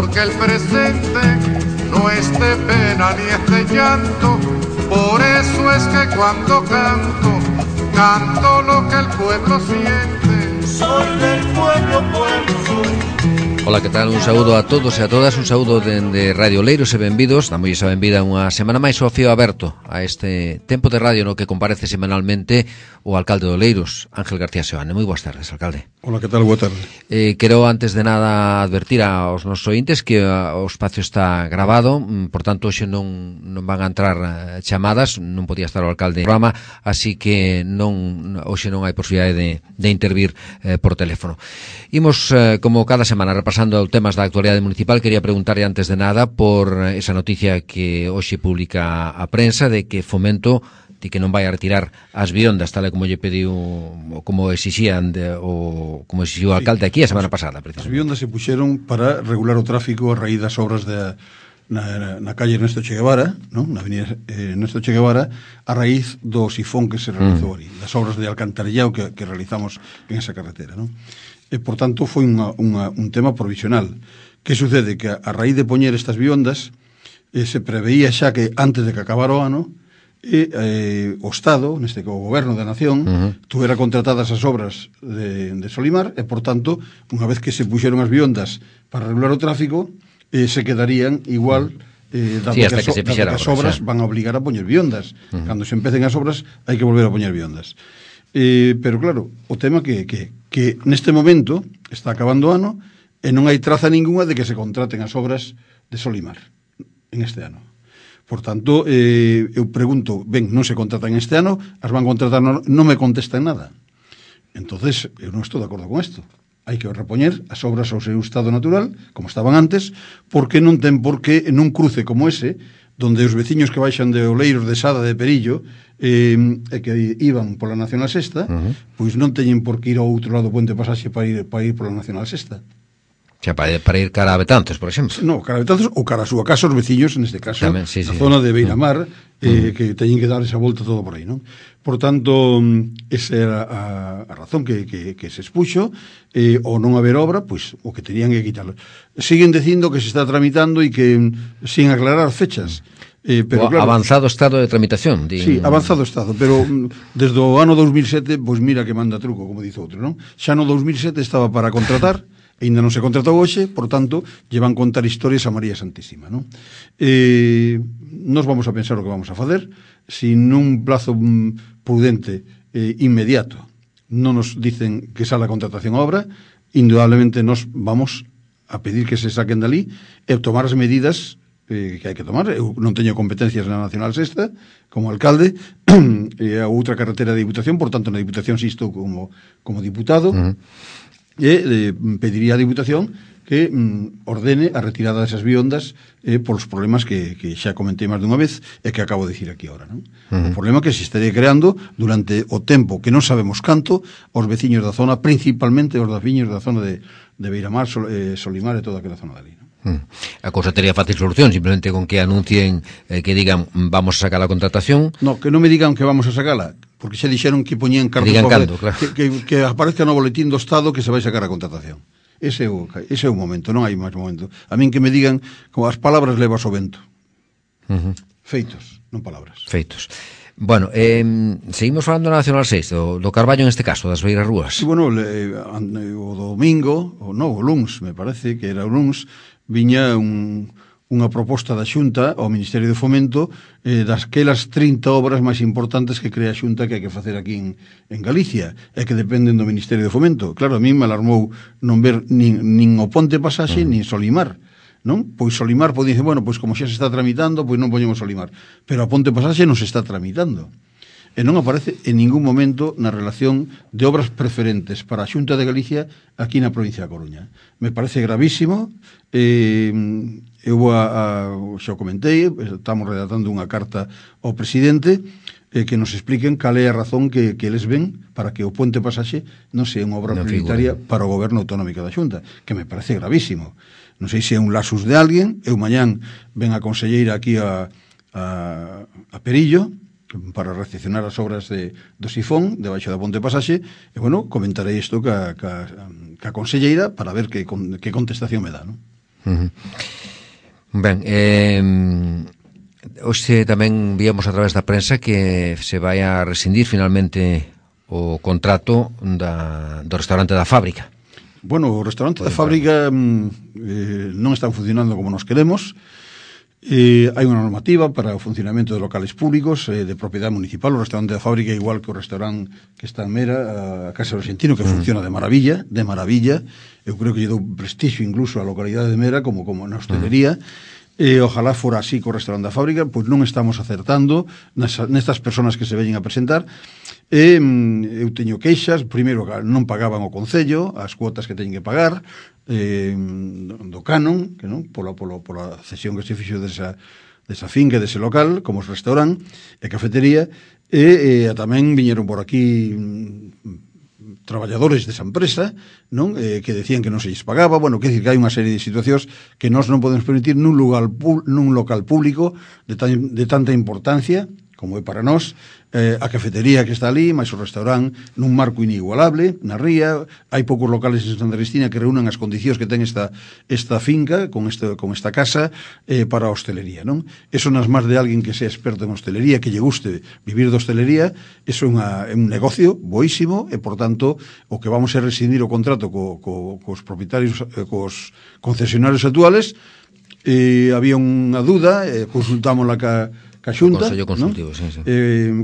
porque el presente no es de pena ni es de llanto. Por eso es que cuando canto, canto lo que el pueblo siente. Soy del pueblo, pueblo soy. Ola, que tal? Un saúdo a todos e a todas, un saúdo dende Radio Oleiros e benvidos. Damos a benvida unha semana máis ao fío aberto a este tempo de radio no que comparece semanalmente o alcalde de Oleiros, Ángel García Seoane. Moi boas tardes, alcalde. Ola, que tal? Boa tarde. Quero antes de nada advertir aos nosos ointes que o espacio está grabado, por tanto hoxe non van a entrar chamadas, non podía estar o alcalde no programa, así que hoxe non hai posibilidade de intervir por teléfono. Imos, como cada semana, repasando temas da actualidade municipal. Quería preguntarle antes de nada por esa noticia que hoxe publica a prensa de que Fomento de que non vai a retirar as viondas tal como lle pediu, como exixían como exixiu o alcalde aquí a semana pasada. As viondas se puxeron para regular o tráfico a raíz das obras na calle Ernesto Che Guevara, non? Na avenida Ernesto Che Guevara, a raíz do sifón que se realizou ali, das obras de alcantarillado que realizamos en esa carretera, non? E, por tanto, foi un tema provisional. Que sucede? Que a raíz de poñer estas viondas se preveía xa que antes de que acabara o ano o Estado, neste o Goberno da Nación, tuvera contratadas as obras de Solimar e, por tanto, unha vez que se puxeron as viondas para regular o tráfico, se quedarían igual dado que as obras van a obligar a poñer viondas. Cando se empecen as obras hai que volver a poñer viondas. Pero claro, o tema que neste momento está acabando o ano e non hai traza ninguna de que se contraten as obras de Solimar en este ano. Por tanto, eu pregunto, ben, non se contratan este ano, as van contratar, non me contestan nada. Entonces, eu non estou de acordo con isto. Hai que repoñer as obras ao seu estado natural, como estaban antes, porque non ten por que nun cruce como ese, donde os veciños que baixan de Oleiros, de Sada, de Perillo, e que iban pola Nacional Sexta, pois non teñen por que ir ao outro lado do Puente Pasaxe para ir pola Nacional Sexta. Xa, para ir cara a Betanzos, por exemplo. No, cara a Betanzos ou cara a súa casa, os veciños, neste caso, tamén, sí, a zona de Beiramar, que teñen que dar esa volta todo por aí, non? Por tanto, esa era a razón que se expuxo, ou non haber obra, pois o que tenían que quitarlo. Siguen dicindo que se está tramitando e que sin aclarar fechas. Pero claro, avanzado estado de tramitación. Sí, avanzado estado, pero desde o ano 2007, pois mira que manda truco, como dice outro, non? Xa no 2007 estaba para contratar, ainda non se contratou hoxe, por tanto, lle van contar historias a María Santísima, non? Nos vamos a pensar o que vamos a facer, se nun plazo prudente inmediato non nos dicen que sale a contratación a obra, indudablemente nos vamos a pedir que se saquen dali e tomar as medidas que hai que tomar. Eu non teño competencias na Nacional Sexta como alcalde e a outra carretera de Diputación, por tanto na Diputación si estou como diputado, e pediría a Diputación que ordene a retirada desas viondas polos problemas que xa comentei máis dunha vez e que acabo de dicir aquí agora, non? O problema que se estaría creando durante o tempo que non sabemos canto aos veciños da zona, principalmente os veciños da zona de Beiramar, Solimar e toda aquela zona dali, non? A cousa tería fácil solución, simplemente con que anuncien que digan vamos a sacar a contratación. No, que non me digan que vamos a sacala, porque xa dixeron que poñían cartos cando, claro. que aparezca no boletín do Estado que se vai sacar a contratación. Ese é o momento, non hai máis momento. A min que me digan como as palabras levas o vento. Feitos, non palabras. Feitos. Bueno, seguimos falando da Nacional 6, do Carballo en este caso, das Beiras Rúas. Sí, bueno, o domingo, o luns, me parece que era o luns, viña unha proposta da Xunta ao Ministerio de Fomento dasquelas 30 obras máis importantes que crea a Xunta que hai que facer aquí en Galicia e que dependen do Ministerio de Fomento. Claro, a mí me alarmou non ver nin o Ponte Pasaxe nin Solimar, non? Pois Solimar pode dicir, bueno, pois como xa se está tramitando, pois non poñemos Solimar, pero a Ponte Pasaxe non se está tramitando. E non aparece en ningún momento na relación de obras preferentes para a Xunta de Galicia aquí na provincia da Coruña. Me parece gravísimo. Eu xa comentei, estamos redactando unha carta ao presidente que nos expliquen cal é a razón que eles ven para que o Puente Pasaxe non sea unha obra prioritaria para o goberno autonómico da Xunta, que me parece gravísimo. Non sei se é un lasus de alguén. Eu mañán ven a conselleira aquí a Perillo para recepcionar as obras do sifón debaixo da Ponte Pasaxe e, bueno, comentarei isto ca conselleira para ver que contestación me dá, non? Ben, hoxe tamén víamos a través da prensa que se vai a rescindir finalmente o contrato do restaurante da Fábrica. Bueno, o restaurante da Fábrica non están funcionando como nos queremos. Hai unha normativa para o funcionamento de locales públicos de propiedade municipal. O restaurante da Fábrica, igual que o restaurante que está en Mera, a Casa do Argentino, que funciona de maravilla. Eu creo que lle dou prestixio incluso á localidade de Mera como na hostelería. Ojalá fora así co restaurante da Fábrica, pois non estamos acertando nestas persoas que se veñen a presentar. Eu teño queixas. Primeiro, non pagaban o Concello as cuotas que teñen que pagar do canon, que non pola cesión que se fixo desa finca, dese local, como restaurante e cafetería, e tamén viñeron por aquí traballadores desa empresa, non, que decían que non se lles pagaba. Bueno, quer dicir que hai unha serie de situacións que nós non podemos permitir nun local público de tanta importancia como é para nós, a cafetería que está ali, máis o restaurante, nun marco inigualable, na ría. Hai poucos locales en Santa Cristina que reúnan as condicións que ten esta finca, con esta casa, para a hostelería, non? Eso nas más de alguén que sea experto en hostelería, que lle guste vivir de hostelería, eso é un negocio boísimo, e, por tanto, o que vamos a rescindir o contrato cos propietarios, cos concesionarios actuales. Había unha duda, consultámosla ca Xunta, Consello Consultivo, sí.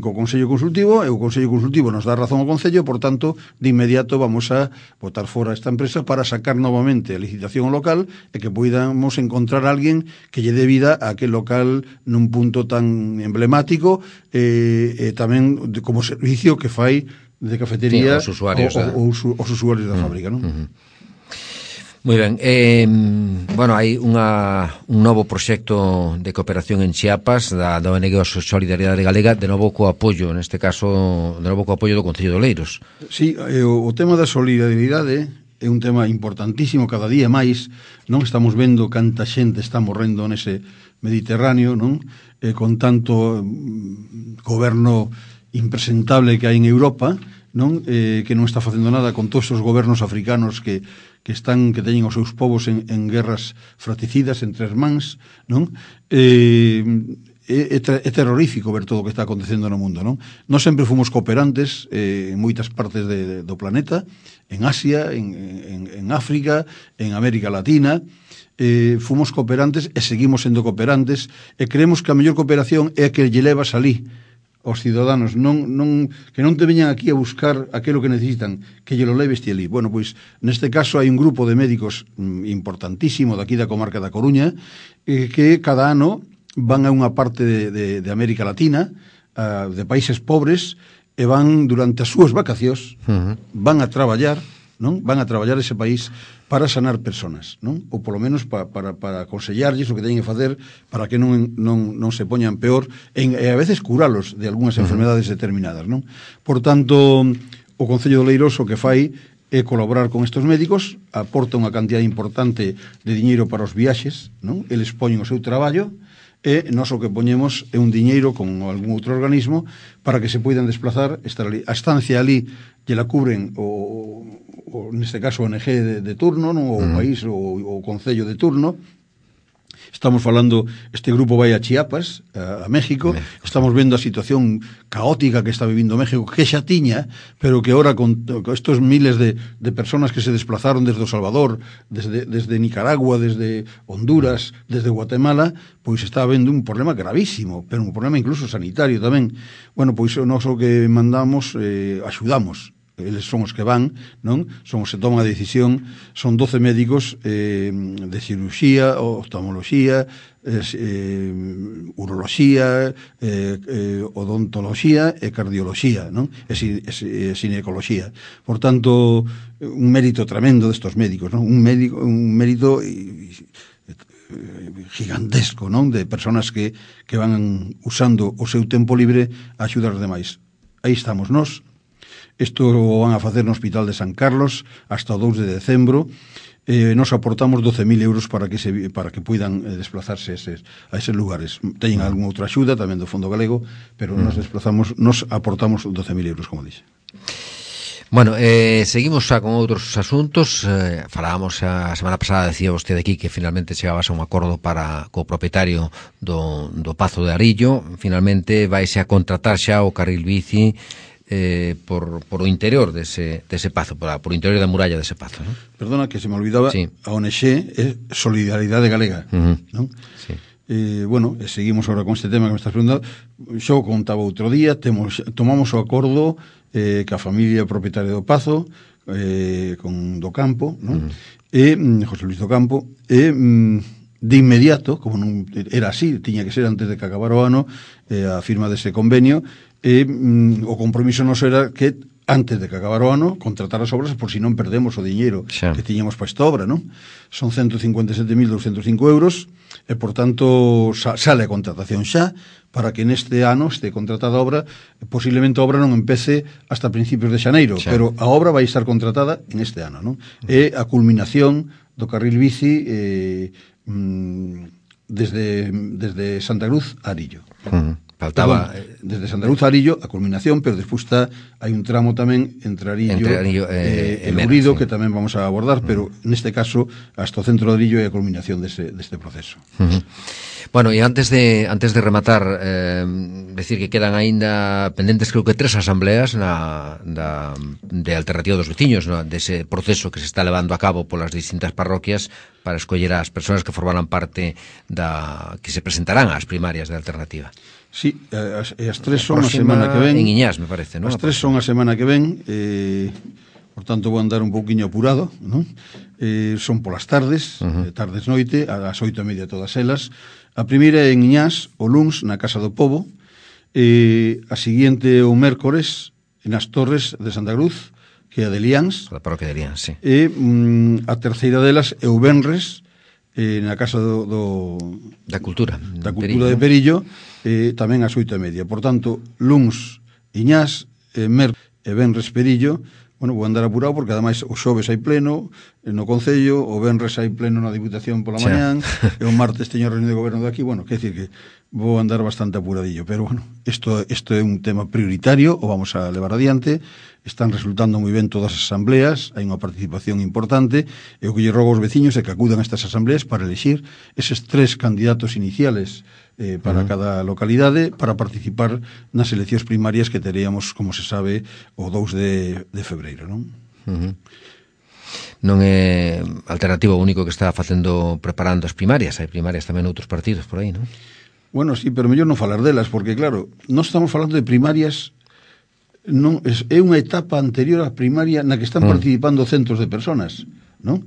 Co Consello Consultivo, e o Consello Consultivo nos dá razón ao Concello, por tanto, de inmediato vamos a botar fora esta empresa para sacar novamente a licitación ao local e que poidamos encontrar alguén que lle dé vida a aquel local nun punto tan emblemático, e tamén como servicio que fai de cafetería aos usuarios da Fábrica, non? Moi ben, bueno, hai un novo proxecto de cooperación en Chiapas da ONG Solidariedade Galega, de novo co apoio, neste caso, de novo co apoio do Concello de Oleiros. Sí, o tema da solidariedade é un tema importantísimo, cada día máis, non estamos vendo canta xente está morrendo nese Mediterráneo, non? Con tanto goberno impresentable que hai en Europa, non? Que non está facendo nada con todos os gobernos africanos que teñen os seus povos en guerras fraticidas entre irmáns, non? É terrorífico ver todo o que está acontecendo no mundo, non? Nós sempre fomos cooperantes en moitas partes do planeta, en Asia, en África, en América Latina. Fomos cooperantes e seguimos sendo cooperantes, e creemos que a mellor cooperación é a que lle levas alí os ciudadanos, que non te veñan aquí a buscar aquilo que necesitan, que lle lo leves ti ali. Bueno, pois, neste caso hai un grupo de médicos importantísimo daqui da comarca da Coruña, que cada ano van a unha parte de América Latina, de países pobres, e van durante as súas vacacións, van a traballar, non? Van a traballar ese país para sanar personas, non? Ou polo menos para aconsellarlles o que teñen que facer para que non se poñan peor e a veces curalos de algunhas enfermedades determinadas, non? Por tanto, o Concello de Oleiros o que fai é colaborar con estes médicos, aporta unha cantidad importante de diñeiro para os viaxes, non? Eles poñen o seu traballo, e nós o que poñemos é un diñeiro con algún outro organismo para que se poidan desplazar, estar ali. A estancia ali lle la cubren neste caso o ONG de turno, non? O país, o concello de turno. Estamos falando, este grupo vai a Chiapas, a México. Estamos vendo a situación caótica que está vivindo México, que xa tiña, pero que ahora con estos miles de personas que se desplazaron desde O Salvador, desde Nicaragua, desde Honduras, desde Guatemala, pois está habendo un problema gravísimo, pero un problema incluso sanitario tamén. Bueno, pois nós o que mandamos, axudamos. Eles son os que van, non? Son os que toman a decisión. Son 12 médicos de cirurxía, oftalmoloxía, uroloxía, odontoloxía e cardioloxía, non? E xinecoloxía. Por tanto, un mérito tremendo destos médicos, non? Un mérito gigantesco, non? De personas que van usando o seu tempo libre a axudar os demais. Aí estamos nós. Isto o van a facer no Hospital de San Carlos hasta o 2 de decembro. Nos aportamos 12.000 euros para que puidan desplazarse a eses lugares. Teñen algunha outra axuda tamén do Fondo Galego, pero nos aportamos 12.000 euros, como dixe. Bueno, seguimos xa con outros asuntos. Falábamos a semana pasada, decía vostede aquí que finalmente chegabas a un acordo co propietario do Pazo de Arillo. Finalmente vaise a contratar xa o carril bici por o interior dese pazo, por o interior da muralla dese pazo, non? Perdona, que se me olvidaba, sí. A ONG é Solidaridade Galega, non? Sí. Bueno, seguimos agora con este tema que me estás preguntando. Xo contaba outro día, tomamos o acordo que a familia propietaria do Pazo, con do Campo, non? José Luis do Campo, de inmediato, como non era así, tiña que ser antes de que acabara o ano, a firma dese convenio, o compromiso noso era que antes de que acabara o ano, contratar as obras por si non perdemos o diñeiro que tiñamos para esta obra, non? Son 157.205 euros e, por tanto, sale a contratación xa para que neste ano este contratada a obra, posiblemente a obra non empece hasta principios de xaneiro, pero a obra vai estar contratada en este ano, non? É a culminación do carril bici desde Santa Cruz a Arillo. Faltaba desde Santa Cruz a Arillo a culminación, pero despois hai un tramo tamén entre Arillo e Lourido, que tamén vamos a abordar, pero neste caso hasta o centro de Arillo é a culminación deste proceso. Bueno, e antes de rematar, decir que quedan aínda pendentes, creo que 3 asambleas de alternativa dos veciños, dese proceso que se está levando a cabo polas distintas parroquias para escoller as persoas que formarán parte que se presentarán ás primarias de alternativa. Sí, as 3 son a semana que ven. En Iñás, me parece, non? As 3 son a semana que ven, por tanto vou andar un pouquiño apurado, non? Son polas tardes, tardes-noite, ás 8:30 todas elas. A primeira é en Iñás, o luns, na Casa do Pobo, a seguinte o mércores, nas Torres de Santa Cruz, que é a de Liáns. A parroquia de Liáns, sí. E a terceira delas é o venres, na Casa da Cultura de Perillo, tamén ás 8:30. Por tanto, luns Iñás, venres Perillo. Bueno, vou andar apurado porque ademais o xoves hai pleno no Concello, o venres hai pleno na Diputación pola mañán, e o martes teño reunión de goberno de aquí. Bueno, quer decir que vou andar bastante apuradillo, pero bueno, isto é un tema prioritario, o vamos a levar adiante. Están resultando moi ben todas as asambleas, hai unha participación importante, e o que lle rogo aos veciños é que acudan a estas asambleas para elegir eses 3 candidatos iniciales para cada localidade, para participar nas eleccións primarias que teríamos, como se sabe, o 2 de febreiro, non? Non é alternativa o único que está preparando as primarias, hai primarias tamén outros partidos por aí, non? Bueno, sí, pero mellor non falar delas, porque claro, non estamos falando de primarias, non é unha etapa anterior á primaria na que están participando centos de personas, non?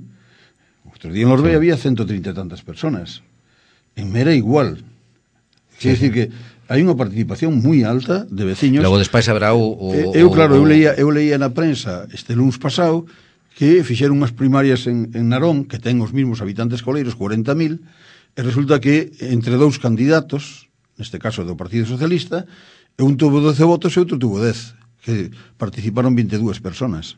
Outro día en Lorbea había 130 e tantas personas. En Mera igual. Quer decir que hai unha participación moi alta de veciños. Logo despois haberá eu leía na prensa este luns pasado que fixeron unhas primarias en Narón, que ten os mesmos habitantes coleiros, 40.000, e resulta que entre 2 candidatos, neste caso do Partido Socialista, un tuvo 12 votos e outro tuvo 10, que participaron 22 personas.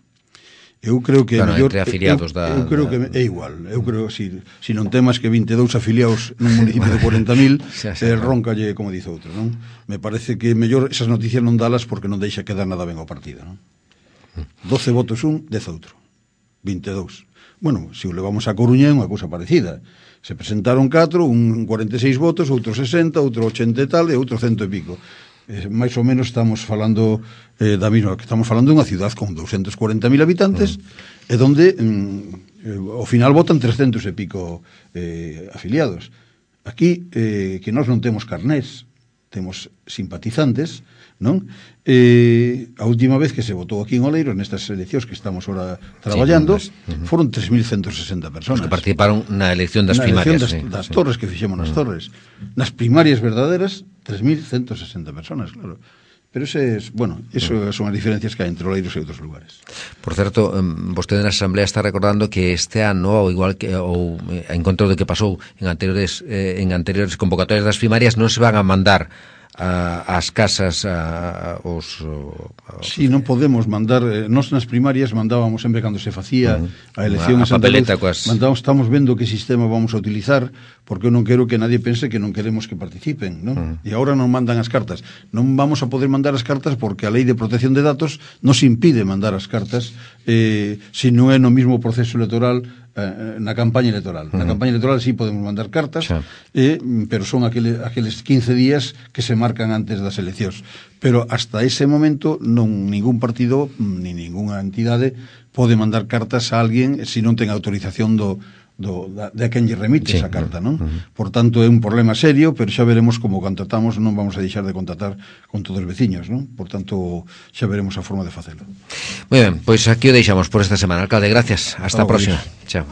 Eu creo que mellor, entre afiliados eu creo que é igual. Eu creo que si non temas que 22 afiliados nun municipio de 40.000, roncalle, como dice outro, non? Me parece que mellor esas noticias non dalas porque non deixa quedar nada ben ao partido, non? 12 votos un, 10 outro. 22. Bueno, se o levamos a Coruña é unha cousa parecida. Se presentaron 4, un 46 votos, outro 60, outro 80 e tal, e outro 100 e pico. Mais ou menos estamos falando da mesma, que estamos falando de unha ciudad con 240.000 habitantes e donde ao final votan 300 e pico afiliados. Aquí que nós non temos carnés, temos simpatizantes, non? A última vez que se votou aquí en Oleiros nestas eleccións que estamos ahora traballando, foron 3.160 personas. Os que participaron na elección das primarias. Das torres que fixemos nas torres. Nas primarias verdaderas, 3.160 personas, claro. Pero eso son as diferencias que hai entre Oleiros e outros lugares. Por certo, vostede na Asamblea está recordando que este ano, igual que en contra do que pasou en anteriores convocatorias das primarias, non se van a mandar as casas Si, non podemos mandar, nós nas primarias mandábamos sempre cando se facía a elección a papeleta coas... estamos vendo que sistema vamos a utilizar, porque eu non quero que nadie pense que non queremos que participen, non? E agora non mandan as cartas. Non vamos a poder mandar as cartas porque a Lei de Protección de Datos nos impide mandar as cartas se non é no mismo proceso electoral na campaña electoral. Na campaña electoral sí podemos mandar cartas, pero son aqueles 15 días que se marcan antes das eleccións. Pero hasta ese momento ningún partido ni ninguna entidade pode mandar cartas a alguén se non ten autorización de quen lle remite esa carta, non? Por tanto, é un problema serio, pero xa veremos como contactamos, non vamos a deixar de contactar con todos os veciños, non? Por tanto, xa veremos a forma de facelo. Moi ben, pois aquí o deixamos por esta semana. Alcalde, gracias. Hasta a próxima. Chao.